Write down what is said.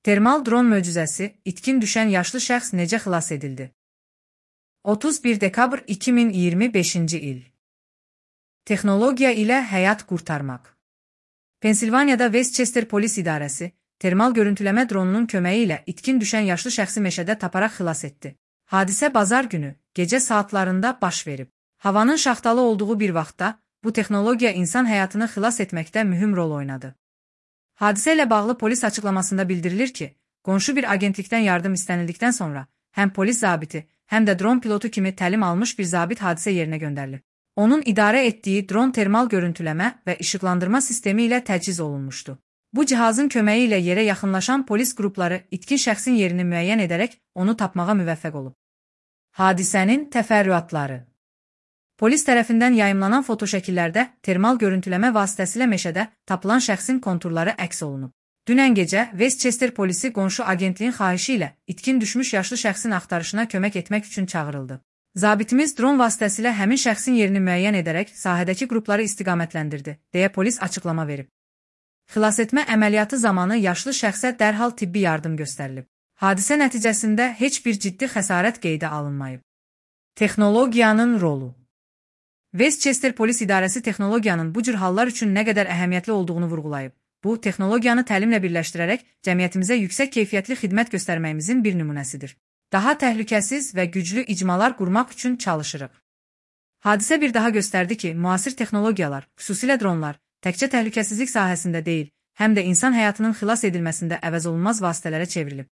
Termal dron möcüzəsi, itkin düşən yaşlı şəxs necə xilas edildi? 31 dekabr 2025-ci il. Texnologiya ilə həyat qurtarmaq. Pensilvaniyada Westchester Polis İdarəsi, termal görüntüləmə dronunun köməyi ilə itkin düşən yaşlı şəxsi meşədə taparaq xilas etdi. Hadisə bazar günü, gecə saatlarında baş verib. Havanın şaxtalı olduğu bir vaxtda, bu texnologiya insan həyatını xilas etməkdə mühüm rol oynadı. Hadisə ilə bağlı polis açıqlamasında bildirilir ki, qonşu bir agentlikdən yardım istənildikdən sonra, həm polis zabiti, həm də dron pilotu kimi təlim almış bir zabit hadisə yerinə göndərilib. Onun idarə etdiyi dron termal görüntüləmə və işıqlandırma sistemi ilə təchiz olunmuşdu. Bu cihazın köməyi ilə yerə yaxınlaşan polis qrupları itkin şəxsin yerini müəyyən edərək onu tapmağa müvəffəq olub. Hadisənin təfərrüatları. Polis tərəfindən yayımlanan fotoşəkillərdə termal görüntüləmə vasitəsilə meşədə tapılan şəxsin konturları əks olunub. Dünən gecə Westchester polisi qonşu agentliyin xahişi ilə itkin düşmüş yaşlı şəxsin axtarışına kömək etmək üçün çağırıldı. Zabitimiz dron vasitəsilə həmin şəxsin yerini müəyyən edərək sahədəki qrupları istiqamətləndirdi, deyə polis açıqlama verib. Xilasetmə əməliyyatı zamanı yaşlı şəxsə dərhal tibbi yardım göstərilib. Hadisə nəticəsində heç bir ciddi xəsarət qeydə alınmayıb. Texnologiyanın rolu. Westchester Polis İdarəsi texnologiyanın bu cür hallar üçün nə qədər əhəmiyyətli olduğunu vurğulayıb. Bu, texnologiyanı təlimlə birləşdirərək cəmiyyətimizə yüksək keyfiyyətli xidmət göstərməyimizin bir nümunəsidir. Daha təhlükəsiz və güclü icmalar qurmaq üçün çalışırıq. Hadisə bir daha göstərdi ki, müasir texnologiyalar, xüsusilə dronlar, təkcə təhlükəsizlik sahəsində deyil, həm də insan həyatının xilas edilməsində əvəzolunmaz vasitələrə çevrilib.